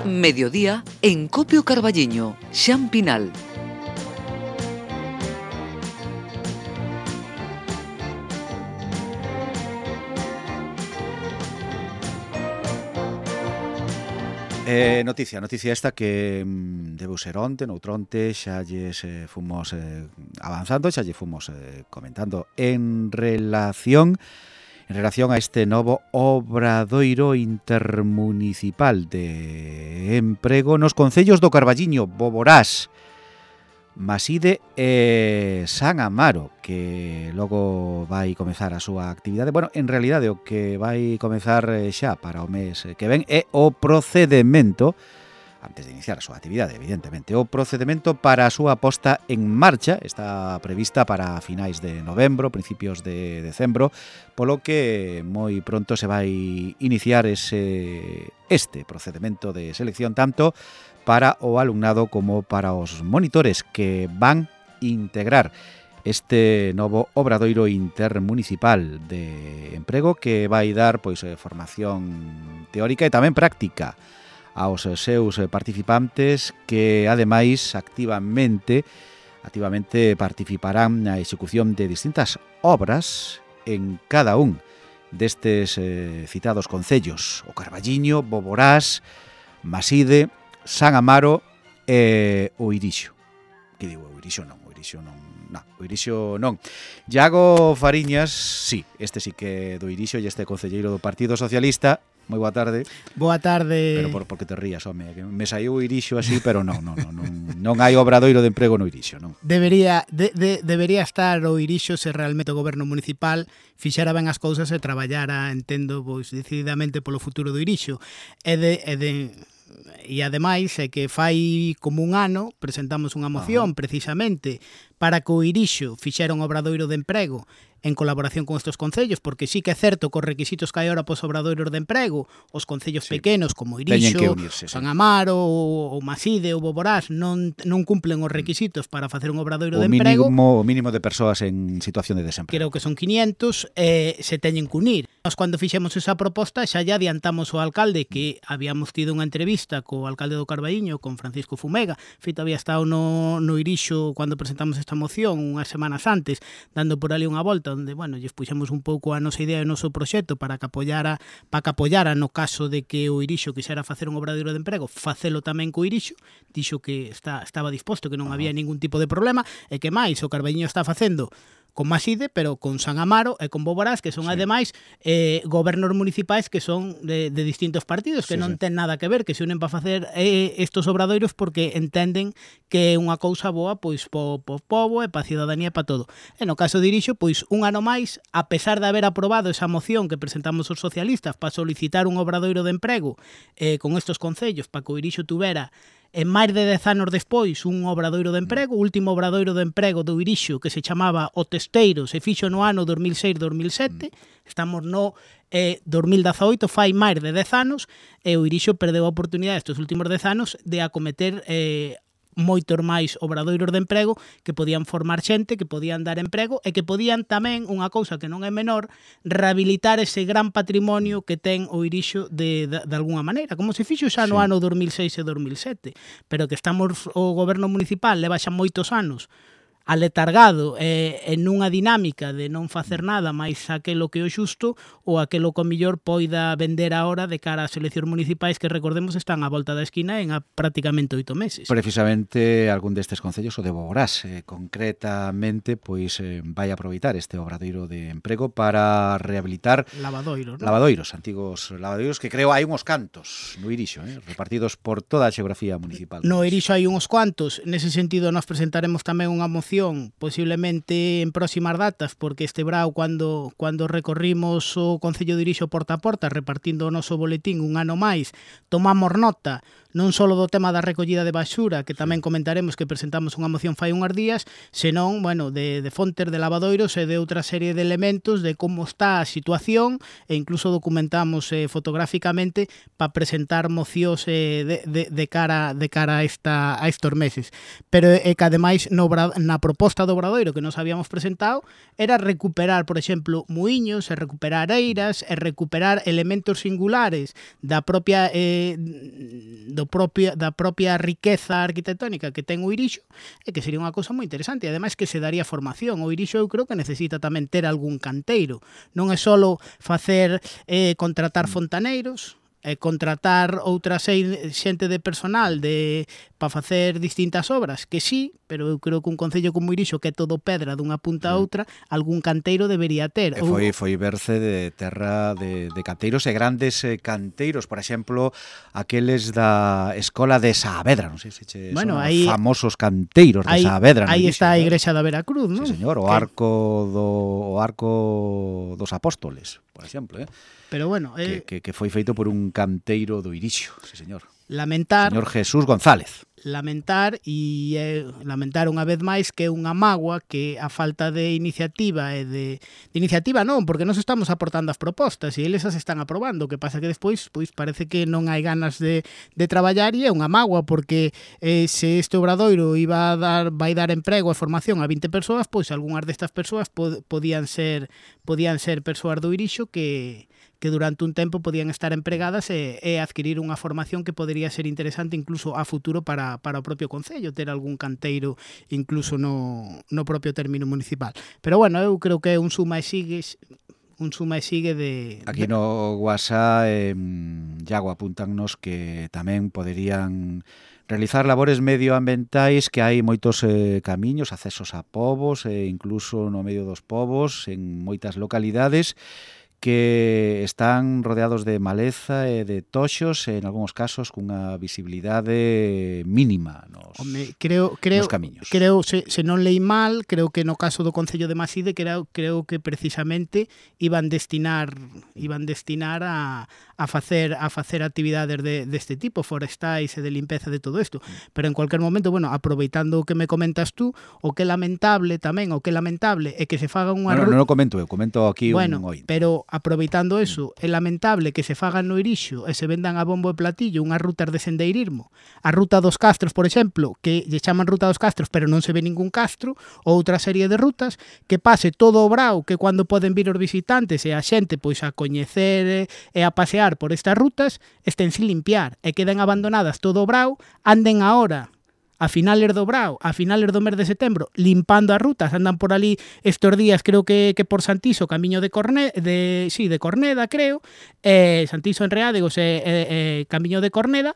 Mediodía en Copio Carballiño, Xan Pinal. Noticia esta que debeu ser onte, noutronte, xa lles fomos avanzando, xa lle fomos comentando en relación a este novo obradoiro intermunicipal de emprego nos concellos do Carballiño, Boborás, Maside e San Amaro, que logo vai comezar a súa actividade. Bueno, en realidade o que vai comezar xa para o mes que ven é o procedemento, antes de iniciar a súa actividade, evidentemente, o procedemento para a súa posta en marcha. Está prevista para finais de novembro, principios de decembro, polo que moi pronto se vai iniciar este procedemento de selección, tanto para o alumnado como para os monitores que van integrar este novo obradoiro intermunicipal de emprego, que vai dar formación teórica e tamén práctica aos seus participantes, que ademais activamente participarán na execución de distintas obras en cada un destes citados concellos: o Carballiño, Boborás, Maside, San Amaro e o Irixo. Que digo, o Irixo non. Iago Fariñas, sí, este sí que do Irixo, e este concelleiro do Partido Socialista. Moi boa tarde. Boa tarde. Pero por que te rías, home, que me saiu o Irixo así, pero non hai obradoiro de emprego no Irixo, non. Debería estar o Irixo se realmente o goberno municipal fixera ben as cousas e traballara, entendo, decididamente polo futuro do Irixo. E ademais é que fai como un ano presentamos unha moción precisamente para que o Irixo fixera un obradoiro de emprego en colaboración con estes concellos, porque sí que é certo que os requisitos que hai ahora pos obradoiros de emprego, os concellos pequenos como Irixo, San Amaro, o Maside ou Boborás non cumplen os requisitos para facer un obradoiro de emprego. O mínimo de persoas en situación de desemprego. Creo que son 500, se teñen que unir. Nós, cando fixemos esa proposta, xa lle adiantamos ao alcalde que habíamos tido unha entrevista co alcalde do Carballiño, con Francisco Fumega. Feito, había estado no Irixo cando presentamos esta moción unhas semanas antes, dando por ali unha volta, onde, lles puxemos un pouco a nosa idea e o noso proxecto para que apoyara no caso de que o Irixo quixera facer un obradoiro de emprego, facelo tamén co Irixo. Dixo que estaba disposto, que non había ningún tipo de problema, e que máis o Carballiño está facendo con Maside, pero con San Amaro e con Boborás, que son ademais gobernos municipais que son de distintos partidos, que non ten nada que ver, que se unen para facer estos obradoiros porque entenden que é unha cousa boa pois po pobo e pa cidadanía e pa todo. E no caso de Irixo, pois un ano máis, a pesar de haber aprobado esa moción que presentamos os socialistas para solicitar un obradoiro de emprego con estos concellos para que o Irixo tuvera en máis de 10 anos despois un obradoiro de emprego. O último obradoiro de emprego do Irixo, que se chamaba O Testeiro, se fixo no ano 2006-2007, estamos no 2018, fai máis de 10 anos, e o Irixo perdeu a oportunidade estes últimos 10 anos de acometer moitos máis obradoiros de emprego que podían formar xente, que podían dar emprego e que podían tamén, unha cousa que non é menor, rehabilitar ese gran patrimonio que ten o Irixo de alguna maneira, como se fixo xa no ano 2006 e 2007, pero que o goberno municipal leva xa moitos anos aletargado en unha dinámica de non facer nada máis aquelo que é o xusto, ou aquelo que o mellor poida vender ahora de cara ás eleccións municipais, que recordemos están á volta da esquina en prácticamente 8 meses. Precisamente algún destes concellos, o de Boborás, concretamente, vai aproveitar este obradoiro de emprego para rehabilitar lavadoiros, antigos lavadoiros, que creo hai uns cantos no Irixo, repartidos por toda a xeografía municipal. No Irixo hai uns cuantos. Nese sentido, nós presentaremos tamén unha moción posiblemente en próximas datas, porque este brao, cando recorrimos o Concello de Irixo porta a porta repartindo o noso boletín un ano máis, tomamos nota non só do tema da recollida de basura, que tamén comentaremos, que presentamos unha moción fai unhas días, senón, de fontes, de lavadoiros e de outra serie de elementos de como está a situación, e incluso documentamos fotográficamente para presentar mocións de cara a estos meses. Pero é que ademais na proposta do Obradoiro que nos habíamos presentado era recuperar, por exemplo, muiños, e recuperar eiras, e recuperar elementos singulares da propia riqueza arquitectónica que ten o Irixo, e que sería unha cousa moi interesante, e ademais que se daría formación. O Irixo eu creo que necesita tamén ter algún canteiro, non é só facer contratar fontaneiros, contratar outra xente de personal para facer distintas obras, que sí, pero eu creo que un concello como Irixo, que é todo pedra dunha punta a outra, algún canteiro debería ter. Foi verse de terra de canteiros e grandes canteiros, por exemplo, aqueles da Escola de Saavedra, non sei se son os famosos canteiros de Saavedra. Aí está a Igrexa da Veracruz, non? Sí, señor, o arco dos Apóstoles, por exemplo, Pero bueno, que foi feito por un canteiro do Irixo, sí, señor. Lamentar, señor Jesús González. Lamentar unha vez máis que é unha mágoa que a falta de iniciativa e de iniciativa non, porque nos estamos aportando as propostas e eles as están aprobando, o que pasa que despois parece que non hai ganas de traballar, e é unha mágoa porque se este Obradoiro vai dar emprego e formación a 20 persoas, pois algunhas destas persoas podían ser persoas do Irixo que durante un tempo podían estar empregadas e adquirir unha formación que podería ser interesante incluso a futuro para o propio concello, ter algún canteiro incluso no propio término municipal. Pero bueno, eu creo que é un suma e sigue de... Aquí no WhatsApp Iago apúntannos que tamén poderían realizar labores medioambientais, que hai moitos camiños, accesos a pobos, incluso no medio dos pobos, en moitas localidades, que están rodeados de maleza e de toxos, en algúns casos cunha visibilidade mínima nos camiños. Creo, se non leí mal, creo que no caso do Concello de Maside, creo que precisamente iban destinar a facer actividades deste tipo, forestais e de limpeza de todo isto. Pero en cualquier momento, bueno, aproveitando o que me comentas tú, o que é lamentable é que se faga unha... Non o comento eu, comento aquí un ointe. Pero aproveitando eso, é lamentable que se fagan no Irixo e se vendan a bombo e platillo unhas rutas de sendeirismo. A ruta dos Castros, por exemplo, que lle chaman ruta dos Castros, pero non se ve ningún castro, ou outra serie de rutas, que pase todo o brao, que cando poden vir os visitantes e a xente pois a coñecer e a pasear por estas rutas, estén sin limpiar e queden abandonadas todo o brao, anden ahora a finales do brao, a finales do mes de setembro, limpando as rutas, andan por ali estes días, creo que por Santiso, camiño de Corneda, creo, Santiso en Reádegos, camiño de Corneda,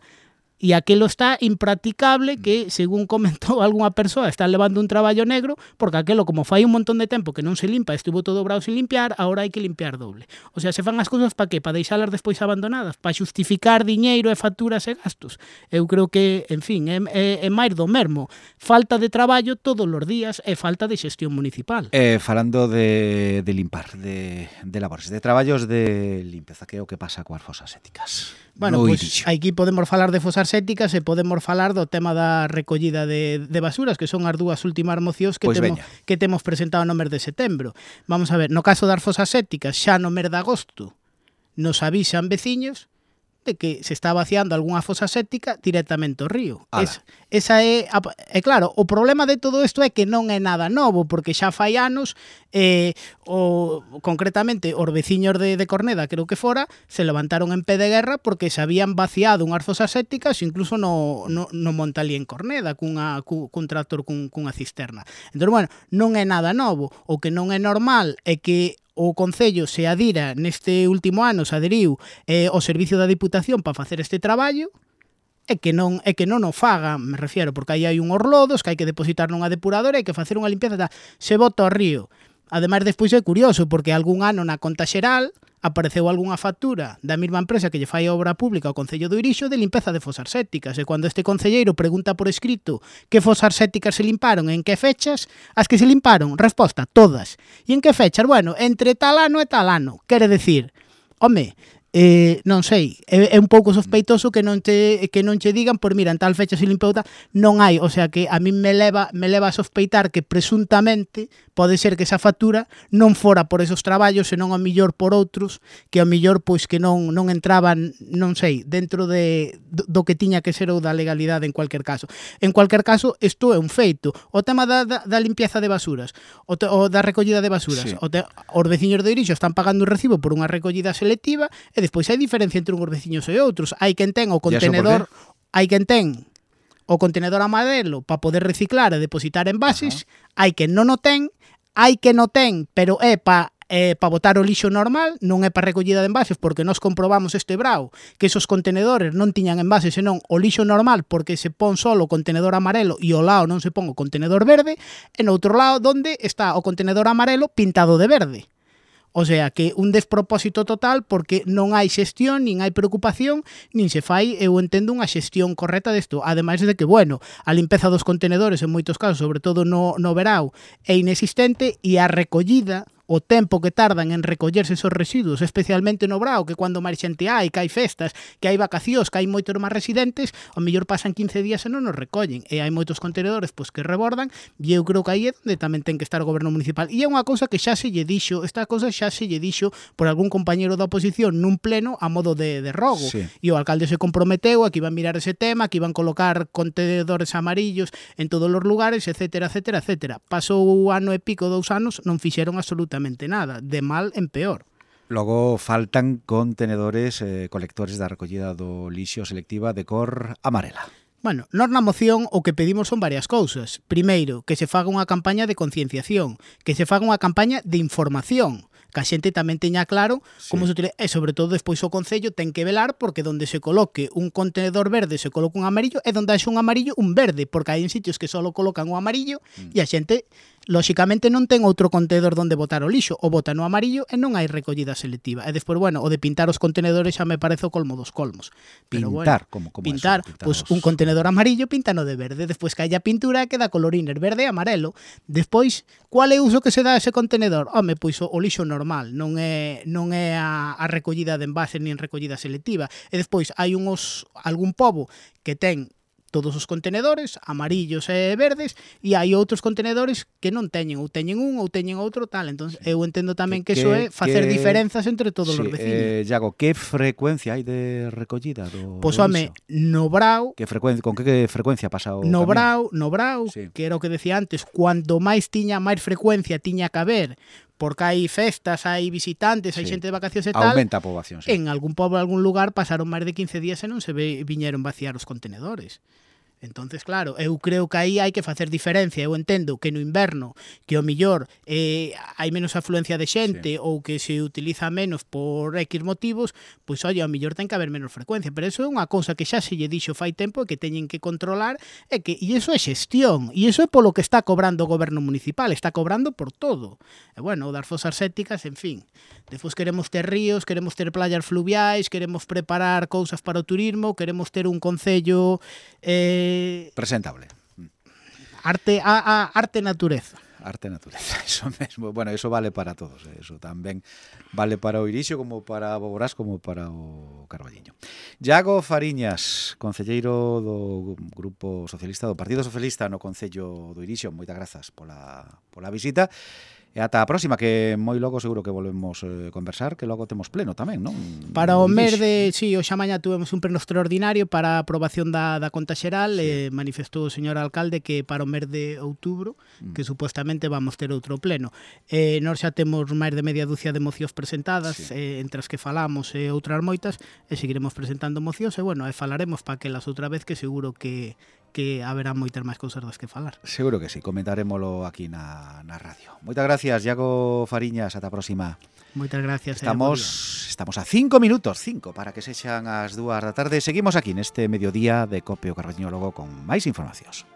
e aquilo está impracticable, que, según comentou algunha persoa, está levando un traballo negro, porque aquilo, como fai un montón de tempo que non se limpa, estuvo todo brao sin limpiar, agora hai que limpiar doble. O sea, se fan as cousas para que? Para deixalas despois abandonadas, para xustificar diñeiro e facturas e gastos. Eu creo que, en fin, é máis do mesmo. Falta de traballo todos os días e falta de xestión municipal. Falando de limpar, de labores, de traballos de limpeza, que é o que pasa coas fosas éticas. Bueno, pois aquí podemos falar de fosas éticas e podemos falar do tema da recollida de basuras, que son as dúas últimas mocións que temos presentado no mes de setembro. Vamos a ver, no caso das fosas éticas, xa no mes de agosto nos avisan veciños de que se está vaciando algunha fosa séptica directamente ao río. Esa é claro, o problema de todo isto é que non é nada novo, porque xa fai anos, concretamente os veciños de Corneda, creo que fora, se levantaron en pé de guerra porque se habían vaciado unhas fosas sépticas incluso no Montalí en Corneda, cun tractor cunha cisterna. Entón, bueno, non é nada novo. O que non é normal é que o Concello se adira neste último ano, se aderiu ao servicio da Diputación para facer este traballo, e que non o faga, me refiero, porque aí hai unhos lodos que hai que depositar nunha depuradora e hai que facer unha limpieza, se bota ao río. Ademais, despois é curioso, porque algún ano na conta xeral apareceu algunha factura da mesma empresa que lle fai a obra pública ao Concello do Irixo de limpeza de fosas sépticas, e cando este concelleiro pregunta por escrito que fosas sépticas se limparon e en que fechas, as que se limparon, resposta, todas. E en que fechas? Bueno, entre tal ano e tal ano. Quere decir, home, non sei, é un pouco sospeitoso que non che digan, por mira, en tal fecha se limpou tal, non hai, o sea que a min me leva a sospeitar que presuntamente pode ser que esa factura non fora por esos traballos, senón a millor por outros, que a millor pois que non entraban, non sei, dentro do que tiña que ser ou da legalidade en cualquier caso. En cualquier caso, isto é un feito. O tema da limpieza de basuras, o da recollida de basuras, Sí. os veciños de Irixo están pagando un recibo por unha recollida selectiva e despois hai diferencia entre uns veciños e outros. Hai quen ten o contenedor, hai quen ten o contenedor amarelo para poder reciclar e depositar envases, hai quen non o ten, hai quen o ten, pero é para botar o lixo normal, non é para recollida de envases, porque nós comprobamos este brao que esos contenedores non tiñan envases, senón o lixo normal, porque se pon solo o contenedor amarelo e ao lado non se pon o contenedor verde, e no outro lado donde está o contenedor amarelo pintado de verde. O sea, que un despropósito total porque non hai xestión, nin hai preocupación, nin se fai, eu entendo, unha xestión correcta desto. Ademais de que, bueno, a limpeza dos contenedores en moitos casos, sobre todo no verao, é inexistente e a recollida, o tempo que tardan en recollerse esos residuos, especialmente no brao, que cando máis xente hai, que hai festas, que hai vacacións, que hai moitos máis residentes, ao mellor pasan 15 días e non nos recollen. E hai moitos contenedores pois que rebordan, e eu creo que aí é onde tamén ten que estar o goberno municipal. E é unha cousa que xa se lle dixo, esta cousa xa se lle dixo por algún compañeiro da oposición nun pleno a modo de rogo. Sí. E o alcalde se comprometeu a que iban mirar ese tema, que iban colocar contenedores amarillos en todos os lugares, etcétera, etcétera, etcétera. Pasou o ano e pico, 2 anos, non fixeron absolutamente nada, de mal en peor. Logo faltan contenedores colectores da recollida do lixo selectiva de cor amarela. Bueno, nós na moción o que pedimos son varias cousas. Primeiro, que se faga unha campaña de concienciación, que se faga unha campaña de información, que a xente tamén teña claro como se utiliza, e sobre todo despois o Concello ten que velar porque donde se coloque un contenedor verde se coloque un amarillo e donde haxe un amarillo un verde, porque hai en sitios que só colocan o amarillo e a xente lóxicamente non ten outro contenedor donde botar o lixo, o bota no amarillo e non hai recollida selectiva. E despois, bueno, o de pintar os contenedores xa me parece o colmo dos colmos. Pero Pintar, bueno, como pintar, eso, pois un contenedor amarillo pintano de verde, despois que haya pintura queda colorines verde e amarelo. Despois, cual é o uso que se dá a ese contenedor? Home, pois o lixo normal, non é a recollida de envases nin recollida selectiva. E despois hai algún pobo que ten todos os contenedores, amarillos e verdes, e hai outros contenedores que non teñen, ou teñen un, ou teñen outro, tal. Entón, eu entendo tamén que iso é facer diferenzas entre todos os veciños. Iago, que frecuencia hai de recollida do Pois, home, no brao, con que frecuencia pasa o no camión? brao, Sí. que era o que decía antes, cuanto máis frecuencia tiña que haber, porque hai festas, hai visitantes, hai Sí. xente de vacacións e tal, Aumenta a poboación, sí. en algún pobo, algún lugar, pasaron máis de 15 días e non se viñeron vaciar os contenedores. Entonces, claro, eu creo que aí hai que facer diferencia. Eu entendo que no inverno, que ao millor hai menos afluencia de xente ou que se utiliza menos por X motivos, pois, ao millor ten que haber menos frecuencia. Pero eso é unha cousa que xa se lle dixo fai tempo e que teñen que controlar e iso é xestión. E iso é polo que está cobrando o goberno municipal. Está cobrando por todo. E, bueno, o das fosas sépticas, en fin. Despois queremos ter ríos, queremos ter playas fluviais, queremos preparar cousas para o turismo, queremos ter un concello presentable. Arte natureza. Arte e natureza, eso mesmo. Bueno, eso vale para todos, eso tamén vale para o Irixo, como para o Boborás, como para o Carballiño. Iago Fariñas, concelleiro do Grupo Socialista, do Partido Socialista no Concello do Irixo, moitas grazas pola visita. E ata a próxima, que moi logo seguro que volvemos conversar, que logo temos pleno tamén, non? Para o mes de... Sí, hoxe mañá tuvemos un pleno extraordinario para a aprobación da conta xeral. Manifestou o señor alcalde que para o mes de outubro, que supuestamente vamos ter outro pleno. Nós xa temos máis de media dúcia de mocións presentadas, entre as que falamos e outras moitas, e seguiremos presentando mocións, e bueno, falaremos para que las outra vez, que seguro que haberá moitas máis cousas das que falar. Seguro que sí, comentaremoslo aquí na radio. Moitas gracias, Iago Fariñas, ata a próxima. Moitas gracias. Estamos a 5 minutos, 5 para que sexan as 2 da tarde. Seguimos aquí neste mediodía de Cope o Carballiño, logo con máis informacións.